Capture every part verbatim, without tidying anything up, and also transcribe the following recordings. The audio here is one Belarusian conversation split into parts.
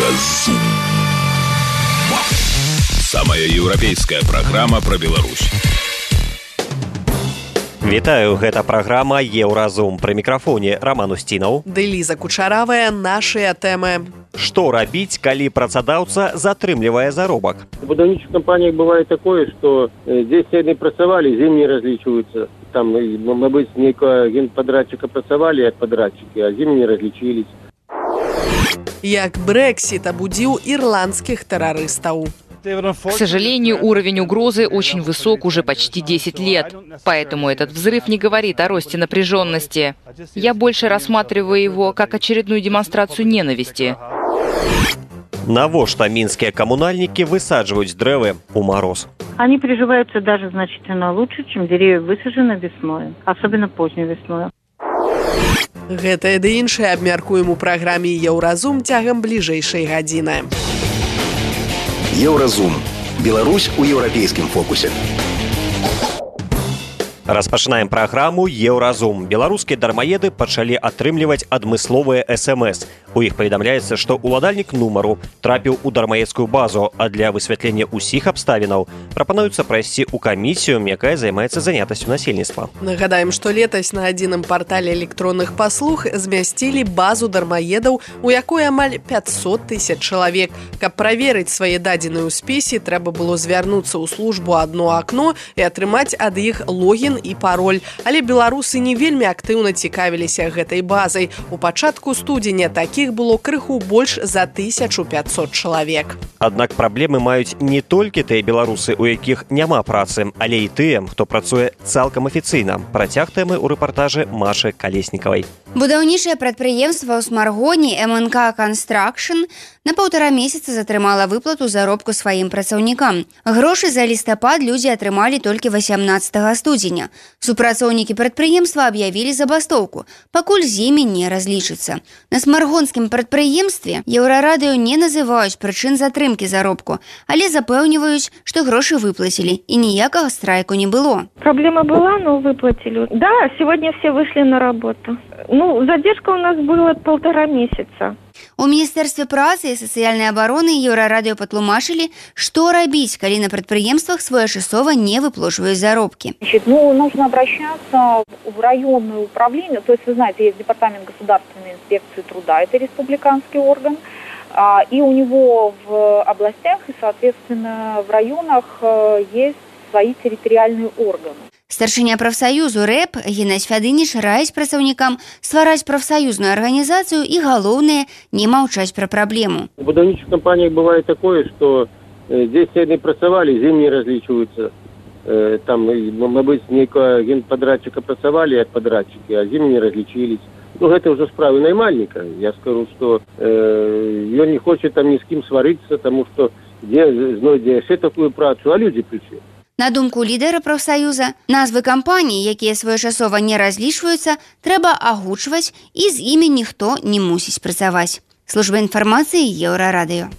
Еўразум. Самая еўрапейская праграма пра Беларусь. Вітаю, гэта праграма «Еўразум». Пры мікрафоне Роман Устінаў. Ды Ліза Кучаравая, нашыя тэмы. Што рабіць, калі працадаўца затрымлівае заробак? В будаўнічых кампаніях бывае такое, што дзесь яны працавалі, з ім не разлічваюцца. Там, мабыць, нейкага генпадрадчыка працавалі як падрадчыкі, а з ім не разлічылись. Як Брексит абудзіў ірландскіх тэрарыстаў. К сожалению, уровень угрозы очень высок уже почти десять лет, поэтому этот взрыв не говорит о росте напряженности. Я больше рассматриваю его как очередную демонстрацию ненависти. Навошта мінскія камунальнікі высаджваюць дрэвы у мороз? Они приживаются даже значительно лучше, чем деревья высажены весной, особенно поздней весной. Гэтае ды іншае абмяркуем у праграме «Еўразум» цягам бліжэйшай гадзіны. Еўразум. Беларусь у еўрапейскім фокусе. Распачынаем праграму «Еўразум». Беларускія дармаеды пачалі атрымліваць адмысловыя эс эм эс. У іх паведамляецца, што ўладальнік нумару трапіў у дармаедскую базу, а для высвятлення ўсіх абставінаў прапануецца прайсці ў камісію, якая займаецца занятасцю насельніцтва. Нагадаем, што летась на адзіным партале электронных паслуг змясцілі базу дармаедаў, у якой амаль пятьсот тысяч чалавек. Каб праверыць свае дадзеныя ў спісе, трэба было звярнуцца ў службу «Адно акно» і атрымаць ад іх логін і пароль. Але беларусы не вельмі актыўна цікавіліся гэтай базай. У пачатку студзеня такіх было крыху больш за тысячу пятьсот чалавек. Аднак праблемы маюць не толькі тыя беларусы, у якіх няма працы, але і тыя, хто працуе цалкам афіцыйна. Працяг тэмы ў рэпартажы Машы Калеснікавай. Будаўнічае прадпрыемства ў Смаргоні эм эн ка «Констракшн» на паўтара месяца затрымала выплату заробку сваім працаўнікам. Грошы за лістапад людзі атрымалі толькі васямнаццатага студзеня. Супрацоўнікі прадпрыемства аб'явілі забастоўку, пакуль з імі не разлічыцца. На смаргонскім прадпрыемстве Еўрарадыё не называюць прычын затрымкі заробку, але запэўніваюць, што грошы выплацілі і ніякага страйку не было. Проблема была, но выплатили. Да, сегодня все вышли на работу. Ну, задержка у нас была полтора месяца. У Міністэрстве працы і сацыяльнай абароны Еўрарадыё патлумачылі, што рабіць, калі на прадпрыемствах своечасова не выплачваюць заробкі. Ну, нужно обращаться в районное управление. То есть, вы знаете, есть Департамент государственной инспекции труда, это республиканский орган. И у него в областях и, соответственно, в районах есть свои территориальные органы. Старшыня прафсаюзу рэп Геннадзь Фядыніч раіць працаўнікам ствараць прафсаюзную арганізацыю і, галоўнае, не маўчаць пра праблему. В будаўнічых кампаніях бывае такое, што дзесь яны працавалі, з ім не разлічваюцца. Там, мабыць, нейкага генпадрадчыка працавалі як падрадчыкі, а з ім не разлічылись. Ну, гэта ўжо справы наймальніка. Я скажу, што э, ён не хоча там ні з кім сварыцца, таму што дзе знойдзе яшчэ такую працу, а людзі прыйшлі. На думку лідэра прафсаюза, назвы кампаній, якія своечасова не разлічваюцца, трэба агучваць, і з імі ніхто не мусіць працаваць. Служба інфармацыі Еўрарадыё.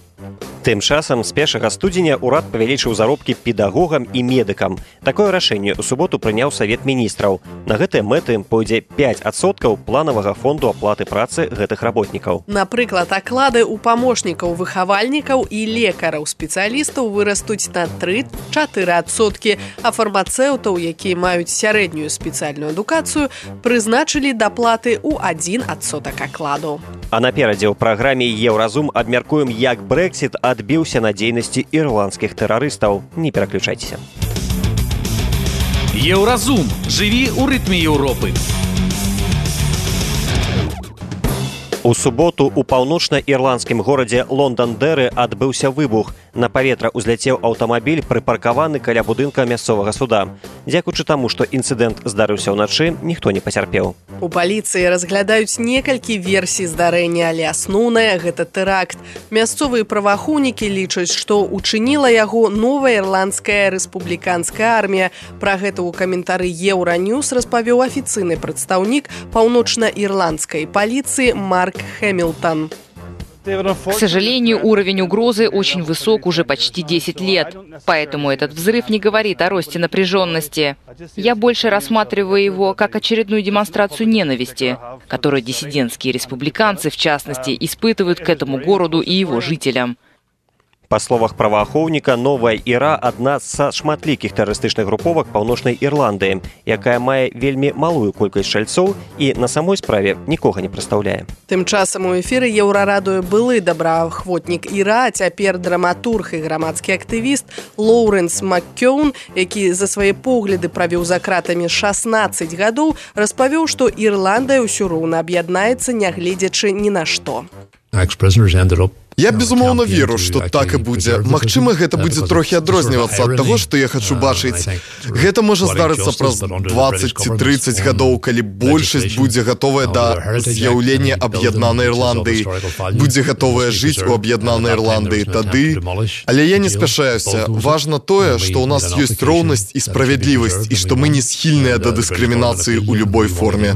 Тым часам з першага студзеня ўрад павялічыў заробкі педагогам і медыкам. Такое рашэнне ў суботу прыняў Савет міністраў. На гэтыя мэты пойдзе пяць адсоткаў планавага фонду аплаты працы гэтых работнікаў. Напрыклад, аклады ў памочнікаў выхавальнікаў і лекараў-спецыялістаў вырастуць на тры-чатыры адсоткі, а фармацэўтаў, якія маюць сярэднюю спецыяльную адукацыю, прызначылі даплаты ў адзін адсотак акладу. А наперадзе ў праграме «Еўразум» абмяркуем, як Брексит адбіўся на дзейнасці ірландскіх тэрарыстаў. Не пераключайцеся. Еўразум. Жыві ў рытме Еўропы. У суботу у паўночна-ірландскім горадзе Лондандэры адбыўся выбух. На паветра ўзляцеў аўтамабіль, прыпаркаваны каля будынка мясцовага суда. Дзякуючы таму, што інцыдэнт здарыўся ўначы, ніхто не пацярпеў. У паліцыі разглядаюць некалькі версій здарэння, але асноўная – гэта тэракт. Мясцовыя праваахоўнікі лічаць, што учыніла яго новая ірландская рэспубліканская армія. Пра гэта ў каментары Еўраньюс распавёў афіцыйны прадстаўнік паўночна-ірландскай паліцыі Марк Хэмілтон. К сожалению, уровень угрозы очень высок уже почти десять лет, поэтому этот взрыв не говорит о росте напряженности. Я больше рассматриваю его как очередную демонстрацию ненависти, которую диссидентские республиканцы, в частности, испытывают к этому городу и его жителям. Па словах праваахоўніка, новая Іра адна са шматлікіх тэрарыстычных груповак Паўночнай Ірландыі, якая мае вельмі малую колькасць шальцоў і на самой справе нікога не прадстаўляе. Тым часам у эфіры Еўрарадыё былы добраахвотнік Іра, а цяпер драматург і грамадскі актывіст Лоуренс Маккёун, які за свае погляды правіў за кратамі шаснаццаць гадоў, распавёў, што Ірландыя ўсё роўна аб'яднаецца, нягледзячы ні на што. Я, безумоўна, веру, што так і будзе. Магчыма, гэта будзе трохі адрознівацца ад таго, што я хачу бачыць. Гэта можа здарыцца праз дваццаць ці трыццаць гадоў, калі большасць будзе гатовая да з'яўлення аб'яднанай Ірландыі, будзе гатовая жыць у аб'яднанай Ірландыі тады. Але я не спяшаюся. Важна тое, што ў нас ёсць роўнасць і справядлівасць, і што мы не схільныя да дыскрымінацыі ў любой форме.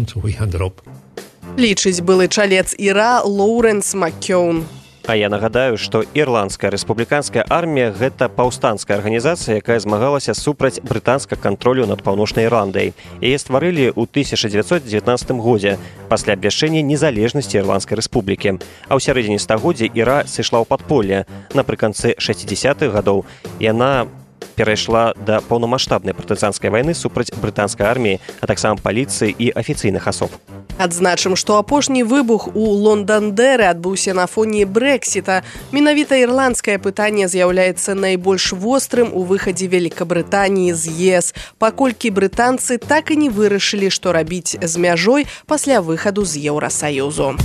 Лічыць былы чалец Іра Лоуренс Маккёун. А я нагадаю, што Ірландская рэспубліканская армія – гэта паўстанцкая арганізацыя, якая змагалася супраць брытанскага кантролю над Паўночнай Ірландай. Яе стварылі ў тысяча дзевяцьсот дзевятнаццатым годзе пасля абвяшчэння незалежнасці Ірландскай рэспублікі. А ў сярэдзіне стагоддзя Іра сышла ў падполле. Напрыканцы шэсцідзесятых гадоў яна перайшла да паўнамаштабнай партызанскай вайны супраць брытанскай арміі, а таксама паліцыі і афіцыйных асоб. Адзначым, што апошні выбух у Лондандэры адбыўся на фоне Брэксіта. Менавіта ірландскае пытанне з'яўляецца найбольш вострым у выхадзе Великабрытаніі з ЕС, паколькі брытанцы так і не вырашылі, што рабіць з мяжой пасля выхаду з Еўрасаюзу.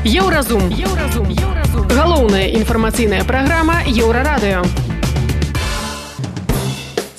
Еўразум. Еўразум. Галоўная інфармацыйная праграма Еўрарадыё.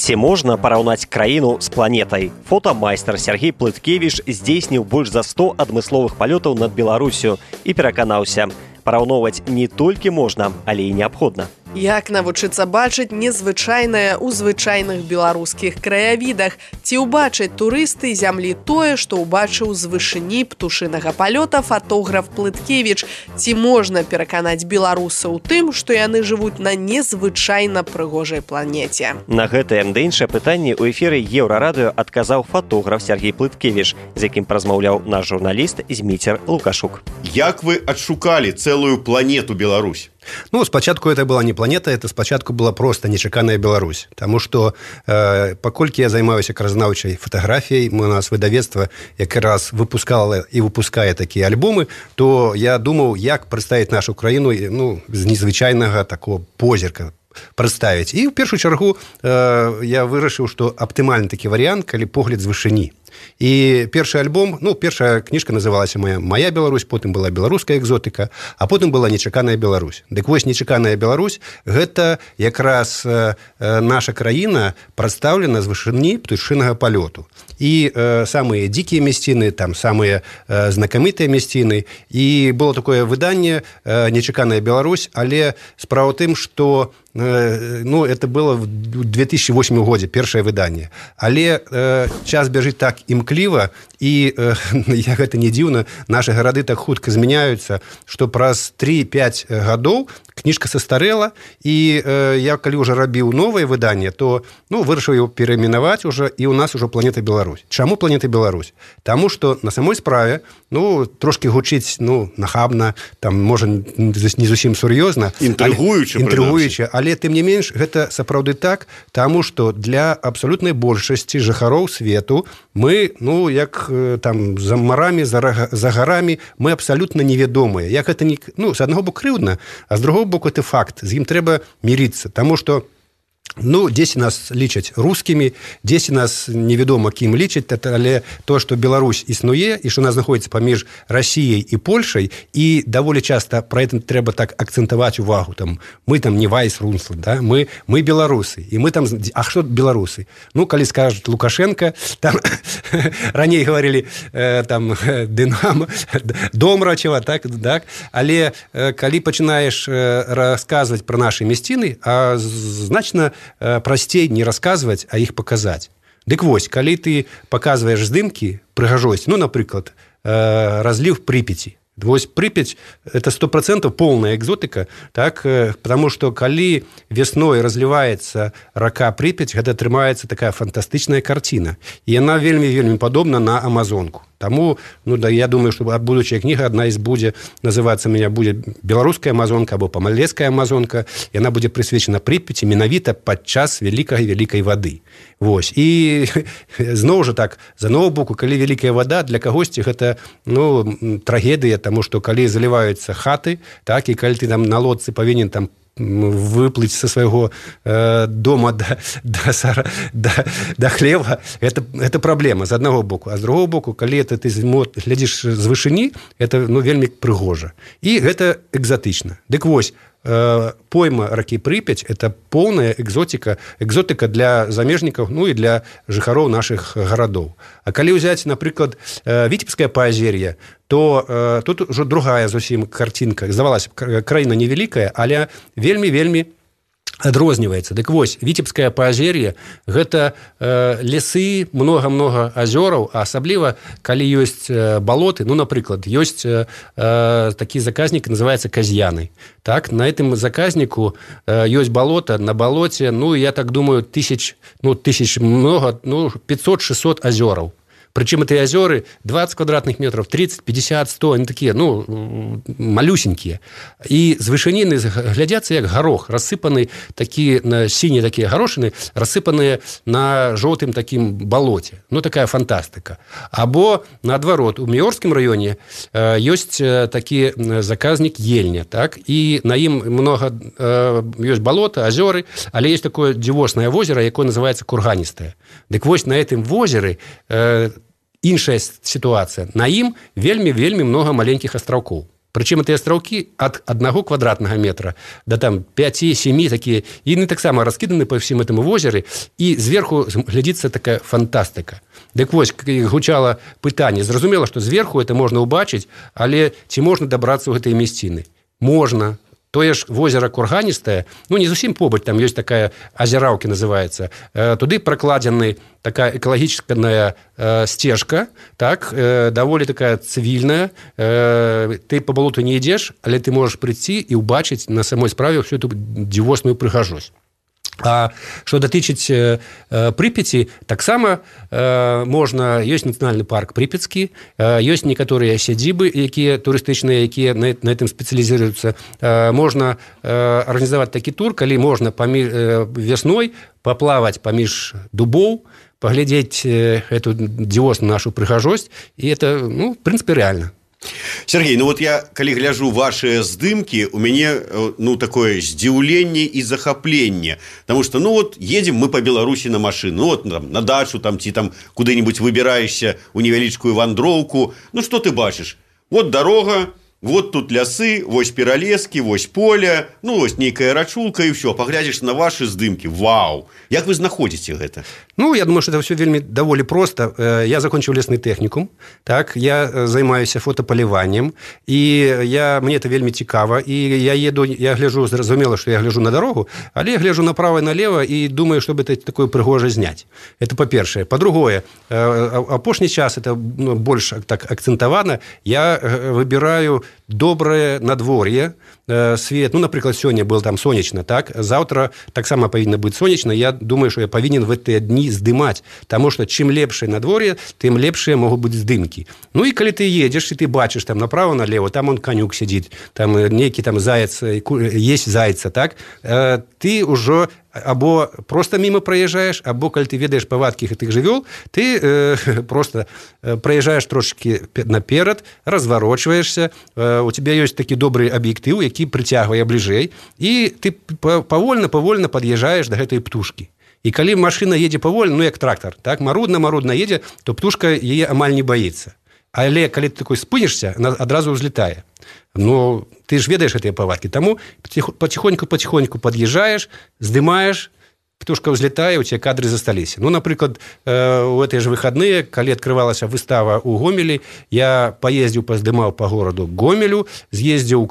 Ці можна параўнаць краіну з планетай? Фотамайстар Сергей Плыткевіч здзейсніў больш за сто адмысловых палётаў над Беларусю і пераканаўся, параўноўваць не толькі можна, але і неабходна. Як навучыцца бачыць незвычайнае ў звычайных беларускіх краявідах? Ці ўбачаць турысты зямлі тое, што ўбачыў з вышыні птушынага палёта фотограф Плыткевіч? Ці можна пераканаць беларусаў у тым, што яны жывуць на незвычайна прыгожай планеце? На гэтае да іншае пытанне ў эфіры Еўрарадыё адказаў фотограф Сергей Плыткевіч, з якім празмаўляў наш журналіст Зміцер Лукашук. Як вы адшукалі цэлую планету Беларусь? Ну, спачатку это была не планета, это спачатку была просто нечаканая Беларусь. Таму што, э, паколькі я займаюся краязнаўчай фатаграфіяй, у нас выдавецтва якраз выпускала і выпускае такія альбомы, то я думаў, як прадставіць нашу краіну, ну, з незвычайнага такого позірка прадставіць. І ў першую чаргу э, я вырашыў, што аптымальны такі варыянт, калі погляд з вышыні. І першы альбом, ну, першая кніжка называлася «Моя, моя Беларусь», потым была «Беларуская экзотыка», а потым была «Нечаканая Беларусь». Дык вось «Нечаканая Беларусь» – гэта якраз э, наша краіна прадстаўлена з вышыні птушынага палёту. І э, самыя дзікія мясціны, там самыя э, знакамітыя мясціны. І было такое выданне э, «Нечаканая Беларусь», але справа ў тым, што э, ну, это было в две тысячи восьмым годзе, першае выданне. Але э, час бяжыць так імкліва, і э, я гэта не дзіўна, нашы гарады так хутка змяняюцца, што праз тры-пяць гадоў кніжка састарэла, і э, я калі ўжо рабіў новае выданне, то ну, вырашыў его перайменаваць уже, і ў нас ужо планета Беларусь. Чаму планета Беларусь? Таму што на самой справе ну, трошкі гучыць ну, нахабна, там, можа, не зусім сур'ёзна. Інтрыгуюча, інтрыгуюча, але тым не менш, гэта сапраўды так, таму што для абсалютнай большасці жыхароў свету мы, ну, як там за марамі, за, за гарамі, мы абсалютна невядомыя. Як гэта не, ну, з аднаго боку крыўдна, а з другого боку это факт. З ім трэба мірыцца, таму што ну, дзесь нас лічаць рускімі, дзесь нас невядома кім лічаць, але то, што Беларусь існуе і што нас знаходзіцца паміж Расіяй і Польшай, і даволі часта пра гэта трэба так акцэнтаваць увагу. Там, мы там не Вайс-Рунсланд, да? мы, мы беларусы. І мы там, а што беларусы? Ну, калі скажуць Лукашенко, там раней гаварылі э, там Дынамо, Домрачева, так, так, але э, калі пачынаеш э, расказваць пра нашы мясціны, а значна прасцей не расказваць, а іх паказаць. Дык вось, калі ты паказваеш здымкі, прыгажосць, ну, напрыклад, разліў Прыпяці, Вось Припять – это сто процентов полная экзотика, так, потому что калі весной разливается рака Припять, гэта атрымаецца такая фантастычная картина. И она вельмі-вельмі падобна на Амазонку. Таму, ну, да, я думаю, что будучая книга, одна из будет называться меня будет «Белорусская Амазонка» або «Помалецкая Амазонка», и она будет присвечена Припяти менавіта падчас вялікай-вялікай вады. Вось. І зноў жа так, з аднаго боку, калі вялікая вада, для кагосьці гэта, ну, трагедыя, таму што калі заліваюцца хаты, так, і калі ты там на лодцы павінен там выплыть со своего э, дома до, до, до, до хлеба, это, это проблема з аднаго боку. А з другого боку, калі это ты глядзіш з вышыні, это, ну, вельмі прыгожа. І гэта экзотычна. Дык вось, э, пойма ракі Припять – это полная экзотика, экзотика для замежнікаў, ну і для жыхароў наших гарадоў. А калі ўзяць, напрыклад, э, Віцебскае паазер'е, то э, тут уже другая зусім картинка. Здавалася, краіна невялікая, але вельмі-вельмі адрозніваецца. Дык вось, Віцебскае паазер'е – гэта э, лесы, многа-многа азёраў, а асабліва, калі ёсць э, балоты, ну, напрыклад, ёсць э, такі заказнік, называецца Казьяны. Так, на этом заказнику э, ёсць балота, на балоце, ну, я так думаю, тысяч, ну, тысяч много, ну, пятьсот-шестьсот азёраў. Причем эти озера двадцать квадратных метров, тридцать, пятьдесят, сто, они такие, ну, малюсенькие. И с вышынины глядятся как горох, рассыпанные такие, синие такие горошины, рассыпанные на желтым таким болоте. Ну, такая фантастика. Або, наоборот, у Миорском районе э, есть такие заказник Ельня, так, и на им много, э, есть болото, озеры, але есть такое дзівоснае озеро, якое называется Курганистое. Так вот, на этом озере э, іншая ситуация. На ім вельмі-вельмі много маленьких астраўкоў. Причем эти астраўкі от одного квадратного метра до там пяти-семи такие, и они так само раскиданы по всем этому озеру, и сверху глядится такая фантастика. Так вот, гучало пытание, зразумела, что сверху это можно убачить, але ці можно добраться в этой местины? Можно. Тое ж возера Курганістае, ну, не зусім побач, там ёсць такая азераўкі называецца, э, туды пракладзены такая экалагічная э, сцежка, так, э, даволі такая цывільная, э, ты по балоту не ідзеш, але ты можаш прыйсці і ўбачыць на самой справе всю эту дзівосную прыгажосць. А что датычыць э, Припяти, таксама э, можна, ёсць нацыянальны парк Припяцкі, э, ёсць некаторыя сядзібы, якія турыстычныя, якія на, на этом спецыялізуюцца. Э, можна э, арганізаваць такі тур, калі можна паміж, э, вясной паплаваць паміж дубоў, паглядзець э, эту дзівосную нашу прыгажосць, і это, ну, в прынцыпе, рэальна. Сергей, ну вот я, калі гляжу ваши здымки, у мяне, ну, такое здзіўленне и захапленне, потому что, ну, вот едем мы по Беларуси на машину, ну, вот там, на дачу, там, ці там куды-нибудь выбираешься у невялічкую вандроўку, ну, что ты бачишь? Вот дорога, вот тут лясы, вось пералескі, вось поле, ну, вось нейкая рачулка и все, поглядишь на ваши здымки, вау! Як вы знаходзіце гэта? Ну, я думаю, что это все вельмі даволі просто. Я закончил лесный техникум, так, я займаюся фотополіваннем, и я, мне это вельмі цікава, и я еду, я гляжу, зразумела, что я гляжу на дорогу, але я гляжу направо и налево и думаю, чтобы это такое прыгожее знять. Это по-першае. По-другое, апошні час, это, ну, больше так акцентовано, я выбираю доброе надворье, свет, ну, например, сегодня было там сонечно, так, завтра так само повинно быть сонечно, я думаю, что я повинен в эти дни здымать, потому что чем лепшее надворье, тем лепшие могут быть здымки. Ну, и когда ты едешь, и ты бачишь там направо-налево, там он конюк сидит, там некий там заяц, есть зайца, так, ты уже або просто мимо проезжаешь, або, коли ты ведаешь повадки этих жывёл, ты э, просто проезжаешь трошки наперед, разворачиваешься, э, у тебя есть такі добрый объектив, які притягивае ближэй, и ты повольно-повольно подъезжаешь до этой птушки. И коли машина едзе повольно, ну, як трактор, так, марудна-марудна едзе, то птушка яе амаль не боится. Але калі ты такой спынішся, она адразу ўзлетае. Ну, ты ж ведаешь гэтыя павадкі. Таму потихоньку-потихоньку подъезжаешь, здымаешь, птушка ўзлетае, у тебя кадры засталіся. Ну, напрыклад, у гэтыя ж выходные, калі открывалася выстава ў Гомелі, я поездзіў, паздымаў по гораду Гомелю, з'ездзіў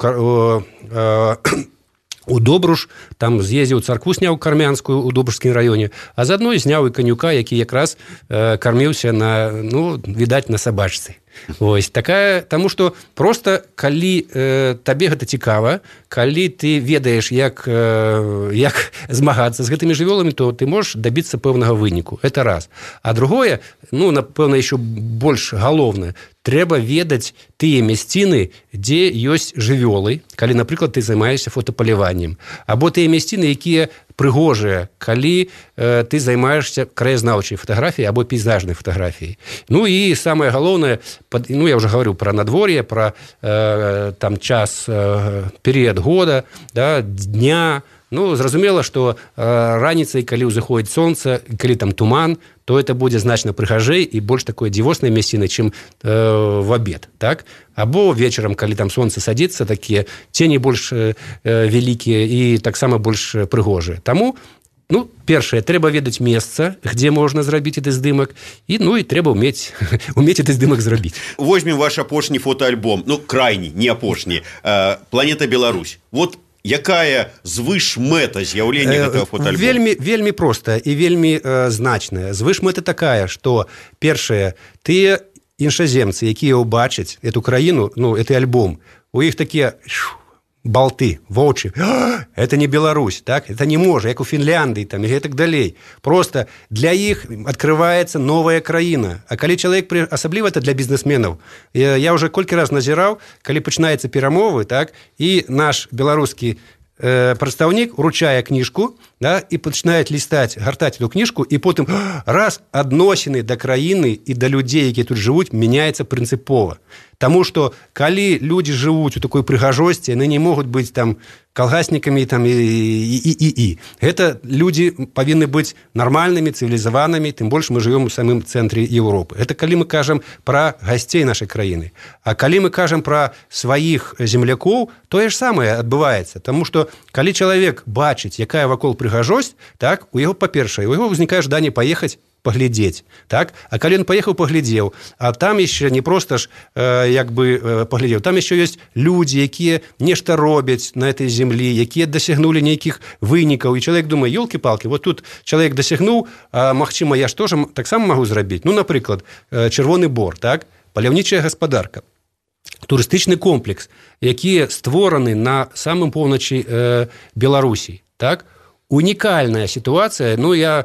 у Добруш, там з'ездзіў царкву, сняў кармянскую у Добрушскім раёне, а заодно зняў і канюка, які якраз э, карміўся на, ну, відаць, на сабачцы. Вось такая, таму што проста калі э, табе гэта цікава, калі ты ведаеш, як, э, як змагацца з гэтымі жывёламі, то ты можаш дабіцца пэўнага выніку. Это раз. А другое, ну, напэўна, еще больш галоўнае, трэба ведаць тыя мясціны, дзе ёсць жывёлы, калі, напрыклад, ты займаешься фотапаляваннем, або тыя мясціны, якія прыгожыя, калі э, ты займаешься краязнаўчай фотаграфіяй або пейзажнай фотаграфіяй. Ну і самае галоўнае, ну я уже говорю про надвор'е, про э, там час, э, перыяд года, да, дня. Ну, зразумела, што э, раніцай, калі ўзыходзіць сонца, калі там туман, то это будзе значна прыгажэй і больш такое дзівоснае мясціны, чым э, в абед, так? Або вечарам, калі там сонца садзіцца, такія цені больш э, вялікія і таксама больш прыгожыя. Таму, ну, першае, трэба ведаць месца, где можна зрабіць гэты здымак, і, ну, і трэба ўмець, ўмець гэты здымак зрабіць. Возьмем ваш апошні фотоальбом, ну, крайні, не апошні, э, «Планета Беларусь». Вот якая звышмэта з'яўлення гэтага фотоальбома? Вельмі, вельмі простая і вельмі э, значная. Звышмэта такая, што, першае, тыя іншаземцы, якія ўбачаць эту краіну, ну, гэты альбом, у іх такія балты, вочы. Это не Беларусь, так? Это не можа, як у Фінляндыі, там, і гэтак далей. Просто для іх открываецца новая краіна. А калі чалавек, асабліва это для бізнесменаў, я уже колькі раз назіраў, калі пачынаюцца перамовы, так, і наш беларускі э, прадстаўнік уручае кніжку, да, і пачынае лістаць, гартаць эту кніжку, і потым раз адносіны да краіны і да людзей, якія тут жывуць, мяняецца прынцыпова. Таму што калі людзі жывуць у такой прыгажосці, яны не могуць быць там калгаснікамі там, і, і, і, і, і. Гэта людзі павінны быць нармальнымі, цывілізаванымі, тым больш мы жывём у самым цэнтры Еўропы. Это калі мы кажам пра гасцей нашай краіны. А калі мы кажам пра сваіх землякоў, тое ж самае адбываецца. Таму што калі чалавек бачыць, якая вакол прыгажосць, так, у яго, па-першае, у яго ўзнікае жаданне паехаць паглядзець, так? А калі ён паехаў, паглядзеў, а там яшчэ не проста ж э, як бы э, паглядзеў, там яшчэ ёсць людзі, якія нешта робяць на этой землі, якія дасягнулі нейкіх вынікаў, і чалавек думае, ёлкі-палкі, вот тут чалавек дасягнуў, а магчыма, я ж тоже таксама магу зрабіць. Ну, напрыклад, э, Чырвоны бор, так? Паляўнічая гаспадарка, турыстычны комплекс, які створаны на самым поўначы э, Беларусі, так? Уникальная ситуация, ну, я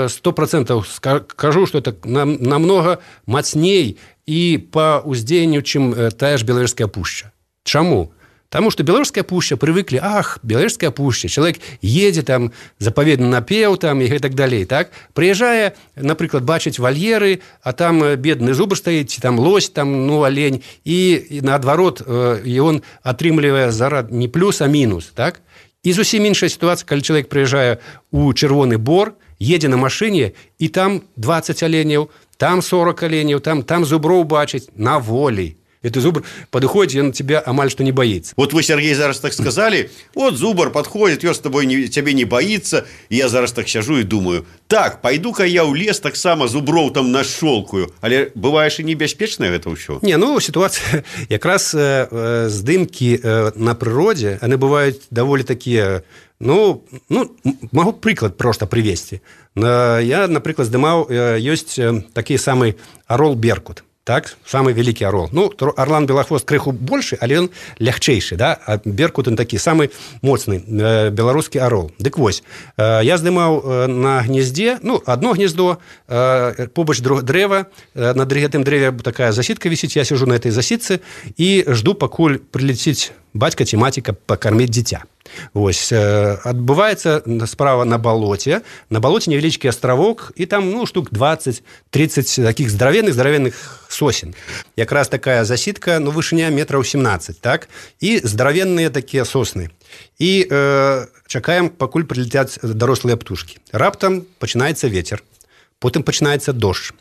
сто процентов скажу, что это нам, намного мацней и по уздзеянню, чым тая ж Белавежская пушча. Чаму? Таму што Белавежская пушча прывыклі, ах, Белавежская пушча, чалавек едзе там, запаведны напеў там і гэтак далей, так? Прыязджае, напрыклад, бачыць вальеры, а там бедны зубр стаіць, там лось, там, ну, алень, і, і наадварот, ён атрымлівае зарад не плюс, а мінус, так? І зусім іншая сітуацыя, калі чалавек прыязджае ў Чырвоны бор, едзе на машыне, і там дваццаць аленяў, там сорок аленяў, там, там зуброў бачыць на волі. Это зубр подходит, он тебя амаль что не боится. Вот вы, Сергей, зараз так сказали, вот зубр подходит, он с тобой не, тебе не боится, и я зараз так сижу и думаю, так, пойду-ка я ў лес так само зубров там нашолкаю, але бываешь и небяспечная гэта ўсё? Не, ну, ситуация, якраз э, здымки э, на природе, они бывают довольно такие, ну, ну, могу приклад просто привести. Я, например, здымаў, э, есть такі самый орол Беркут. Так, самый великий орол. Ну, орлан белохвост крыху больше, але он лягчейший, да, а Беркут он такі самый моцны э, беларускі орол. Дык вось, э, я здымаў э, на гнездзе, ну, одно гнездо, э, побач дрэва, э, на гэтым дрэве такая засідка вісіць, я сижу на этой засідцы і жду, пакуль прилетіць бацька ці маціка пакарміць дзіця. Вось, э, адбываецца справа на балоце, на балоце невялічкі астравок, і там, ну, штук двадцать-тридцать таких здоровенных здоровенных сосен. Якраз такая засідка, ну, вышыня метраў семнадцать, так, і здоровенныя такія сосны. І э, чакаем, пакуль прилетяць дарослыя птушкі. Раптам пачынаецца ветер, потым пачынаецца дождж.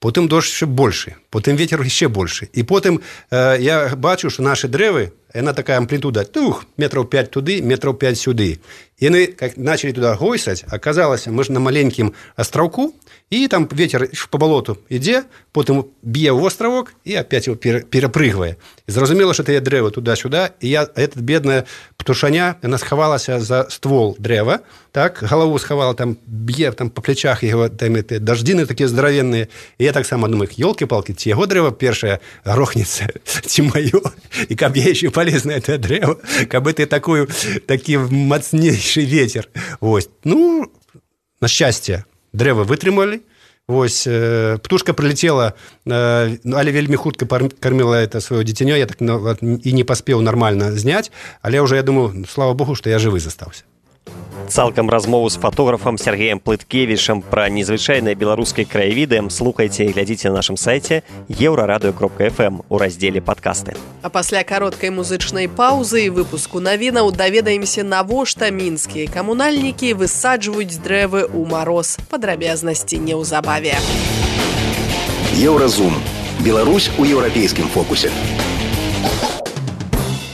Потым дождж яшчэ большы, потым ветер яшчэ большы. І потым э, я бачу, што нашы дрэвы, яна такая амплітуда, тух, метраў пять туды, метраў пять сюды. Яны как начали туда гойсаць, аказалася, мы ж на маленькім астраўку, і там ветер по балоту ідзе, потым б'е ў астравок і опять его перапрыгвае. І зразумела, што тыя дрэвы туда-сюда, і я, этот бедная птушаня, яна схавалася за ствол дрэва, так, галаву схавала, там б'е там по плечах яго, там эти даждзіны такія здаравенныя. І я таксама думаю, ёлкі-палкі, ці яго дрэва першае грохнецца, ці маё, і каб я яшчэ палез на это дрэва, каб это такую, такі мацнейшы ветер. Вось. Ну, на шчасце, дрэва вытрымалі. Вось, э, птушка прилетела, э, але вельмі хутка кормила это свое дзіцянё, я так ну, і не паспеў нармальна зняць, але ўжо я думаю, слава богу, што я жывы застаўся. Цалкам размову з фотографам Сергеем Плыткевічам пра незвычайныя беларускія краявіды слухайце і глядзіце на нашым сайце еўрарадыё кропка эф эм у раздзеле падкасты. А пасля кароткай музычнай паўзы і выпуску навінаў даведаемся, навошта мінскія камунальнікі высаджваюць дрэвы ў мароз. Падрабязнасці неўзабаве. Еўразум. Беларусь у еўрапейскім фокусе.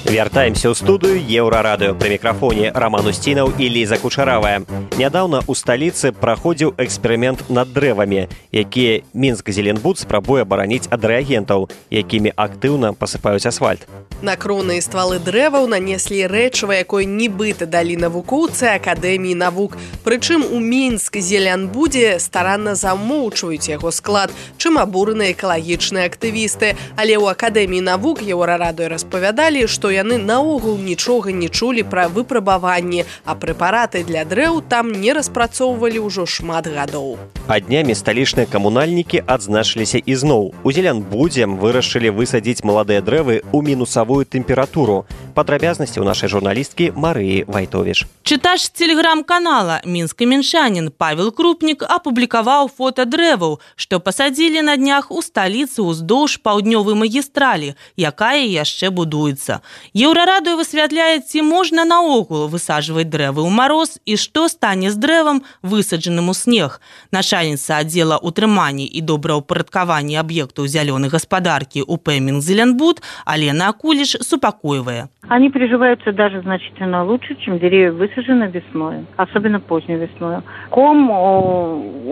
Вяртаемся ў студыю Еўрарадыё. Пры мікрафоне Раман Усцінаў і Ліза Кучаравая. Нядаўна ў сталіцы праходзіў эксперымент над дрэвамі, якія Мінск-Зеленбуд спрабуе абараніць ад рэагентаў, якімі актыўна пасыпаюць асфальт. На кроны і ствалы дрэваў нанеслі рэчыва, якое нібыта далі навукоўцы Акадэміі навук. Прычым у Мінск-Зеленбудзе старанна замоўчваюць яго склад, чым абураны экалагічныя актывісты. Але ў Акадэміі навук Еўрарадыё распавядалі, што яны наогул нічога не чулі пра выпрабаванні, а прэпараты для дрэў там не распрацоўвалі ўжо шмат гадоў. А днямі сталічныя камунальнікі адзначыліся ізноў. У Зеленбудзе вырашылі высадзіць маладыя дрэвы ў мінусавую тэмпературу. Падрабязнасці ў нашай журналісткі Марыі Вайтовіш. Чытач тэлеграм-канала мінска-мінчанін Павел Крупнік апублікаваў фота дрэваў, што пасадзілі на днях у сталіцы ўздоўж паўднёвай магістралі, якая яшчэ будуецца. Еўрарадыё высвятляе, ці можна наогул высаджваць дрэвы ў мароз і што стане з дрэвам, высаджаным у снег. Начальніца аддзела утрымання і добраўпарадкавання аб'ектаў зялёнай гаспадаркі УП Мінск-Зеленбуд Алена Акуліш супакойвае. Они приживаются даже значительно лучше, чем деревья высажены весной, особенно поздней весной. Ком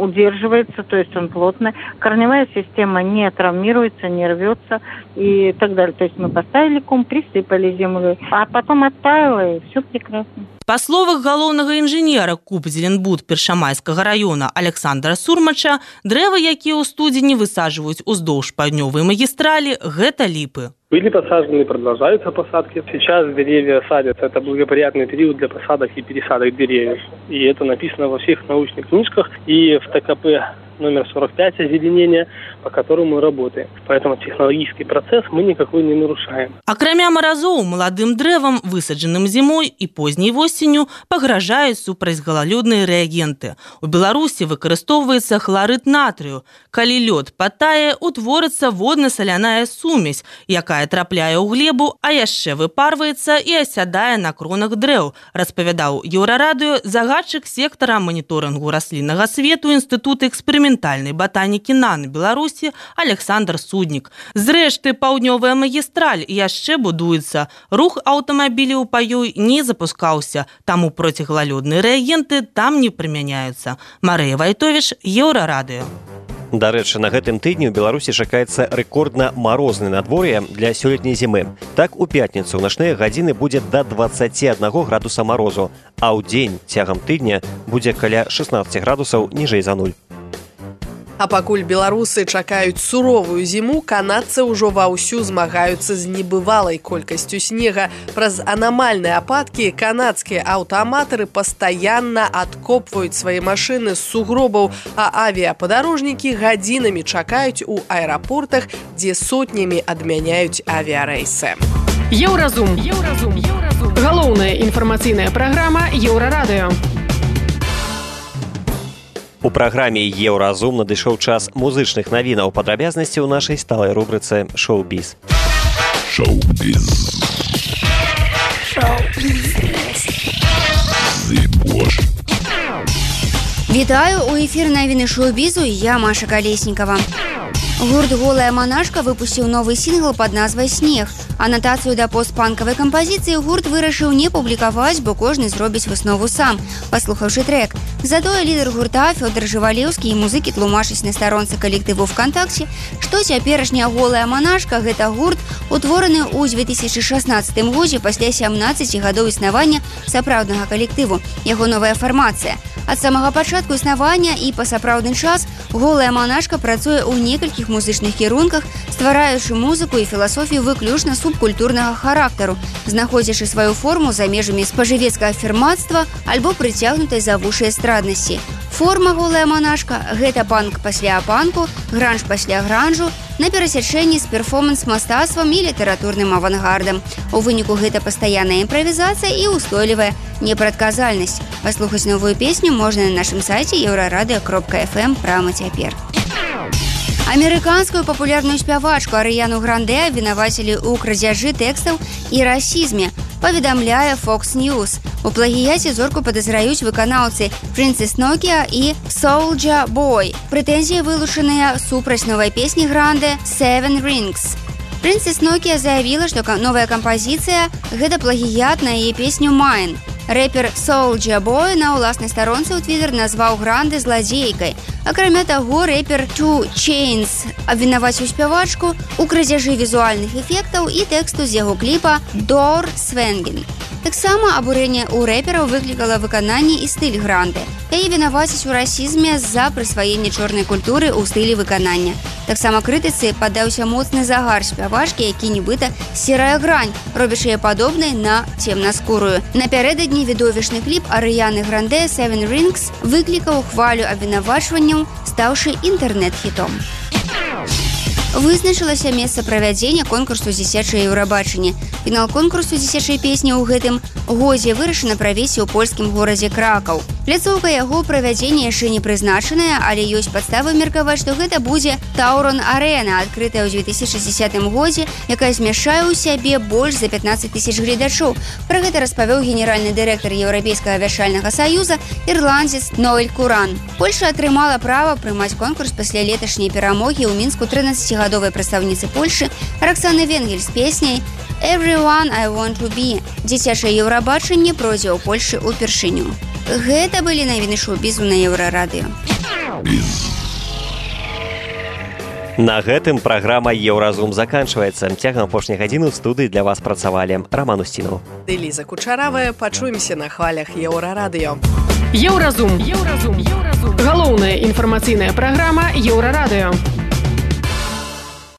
удерживается, то есть он плотный, корневая система не травмируется, не рвется и так далее. То есть мы поставили ком, присыпали землю, а потом оттаяло, и все прекрасно. Па словах галоўнага інжынера КУП Зеленбуд Першамайскага района Александра Сурмача, дрэвы, якія ў студзені высаджваюць уздоўж паўднёвай магістралі, гэта ліпы. Были посажены, продолжаются посадки. Сейчас деревья садятся. Это благоприятный период для посадок и пересадок деревьев. И это написано во всех научных книжках и в ТКП номер сорок пять озеленения, по которому мы работаем. Поэтому технологический процесс мы никакой не нарушаем. Акрамя маразоў, маладым дрэвам, высаджаным зімой і позняй восенню, пагражаюць супрацьгалалёдныя рэагенты. У Беларусі выкарыстоўваецца хларыд натрыю. Калі лёд патае, утворыцца водна-саляная сумесь, якая трапляе ў глебу, а яшчэ выпарваецца і асядае на кронах дрэў, распавядаў Еўрарадыё загадчык сектара маніторынгу расліннага свету Інстытута эксперыментальнай батанікі НАН Беларусі Александр Суднік. Зрэшты, паўднёвая магістраль яшчэ будуецца. Рух аўтамабіляў па ёй не запускаўся, таму проціггалалёдныя рэагенты там не прымяняюцца. Марыя Вайтовіш, Еўрарадыё. Дарэчы, на гэтым тыдні ў Беларусі чакаецца рэкордна марознае надвор'е для сёлетняй зімы. Так, у пятніцу ў начныя гадзіны будзе да дваццаці аднаго градуса марозу, а ў дзень цягам тыдня будзе каля шэснаццаці градусаў ніжэй за нуль. А пакуль беларусы чакаюць суровую зіму, канадцы ўжо ваўсю змагаюцца з небывалай колькасцю снега. Праз анамальныя ападкі канадскія аўтааматары пастаянна адкопваюць свае машыны з сугробаў, а авіяпадарожнікі гадзінамі чакаюць у аэрапортах, дзе сотнямі адмяняюць авіярэйсы. Еўразум. Еўразум. Еўразум. Галоўная інфармацыйная праграма Еўрарадыё. У праграме Еўразум надышоў час музычных навінаў. Падрабязнасці ў нашай сталай рубрыцы «Шоу-біз». Шоу-біз. Шоу-біз. Вітаю, у эфір навіны шоу-бізу, я Маша Калеснікава. Гурт «Голая монашка» выпусціў новы сінгл пад назвай «Снег». Анатацыю да постпанкавай кампазіцыі гурт вырашыў не публікаваць, бо кожны зробіць выснову сам, паслухаўшы трэк. Затое лідар гурта Фёдор Жывалеўскі і музыкі тлумачаць на старонцы калектыву ВКонтакце, што цяперашняя голая манашка гэта гурт, утвораны ў дзве тысячы шаснаццатым годзе пасля сямнаццаці гадоў існавання сапраўднага калектыву. Яго новая фармацыя. Ад самага пачатку існавання і па сапраўдны час голая манашка працуе ў некалькіх музычных кірунках, ствараючы музыку і філасофію выключна субкультурнага характару, знаходзячы сваю форму за межамі спажывецкага фірмацтва альбо прыцягнутай за вушы эстраднасці. Форма голая манашка – гэта панк пасля панку, гранж пасля гранжу, на перасячэнні з перформанс-мастацтвам і літаратурным авангардам. У выніку гэта пастаянная імправізацыя і ўстойлівая непрадказальнасць. Паслухаць новую песню можна на нашым сайце еўрарадыё кропка эф эм прама цяпер. Амерыканскую папулярную спявачку Арыяну Гранде абвінавацілі ў крадзяжы тэкстаў і расізме, паведамляе Fox News. У плагіяце зорку падазраюць выканаўцы Princess Nokia і Soulja Boy. Прэтэнзіі вылучаныя супраць новай песні Гранде «Seven Rings». Princess Nokia заявіла, што новая кампазіцыя – гэта плагіят на яе песню «Mine». Рэпер Soulja Boy на ўласнай старонцы ў Твиттер назваў Гранде зладзейкай. Акрамя таго, рэпер two chainz абвінаваціў спявачку ў крадзяжы візуальных эфектаў і тэксту з яго кліпа «Door Swingin'». Таксама абурэнне ў рэпераў выклікала выкананне і стыль Гранде. Яе вінавацяць у расізме з-за прысваення чорнай культуры ў стылі выканання. Таксама крытыцы паддаўся моцны загар спявачкі, які нібыта серая грань, робячы яе падобнай на цемнаскурую. Напярэдадні відовішчны кліп Арыяны Гранде «Seven Rings» выклікаў хвалю абвінавачванняў, стаўшы інтэрнэт-хітом. Вызначылася месца правядзення конкурсу «Дзіцячае Еўрабачанне». Фінал конкурсу дзіцячай песні ў гэтым годзе вырашана правесці ў польскім горадзе Кракаў. Пляцоўка яго правядзення яшчэ не прызначаная, але ёсць падставы меркаваць, што гэта будзе Таурон-арэна, адкрытая ў дзве тысячы дзесятым годзе, якая змяшчае ў сябе больш за пятнаццаць тысяч гледачоў. Пра гэта распавёў генеральны дырэктар Еўрапейскага вяшальнага саюза ірландзец Ноэль Куран. Польша атрымала права прымаць конкурс пасля леташняй перамогі ў Мінску трынаццацігадовай прадстаўніцы Польшы Раксаны Венгель з песняй «Everyone I Want to Be». Дзіцячае Еўрабачанне пройдзе ў Польшы ўпершыню. Гэта былі навіны шоу-бізу на Еўрарадыё. На гэтым праграма «Еўразум» заканчваецца. Цягам апошняй гадзіны ў студыі для вас працавалі Раман Устінаў. Эліза Кучаравая. Пачуемся на хвалях Еўрарадыё. Еўразум. Еўразум. Галоўная інфармацыйная праграма Еўрарадыё.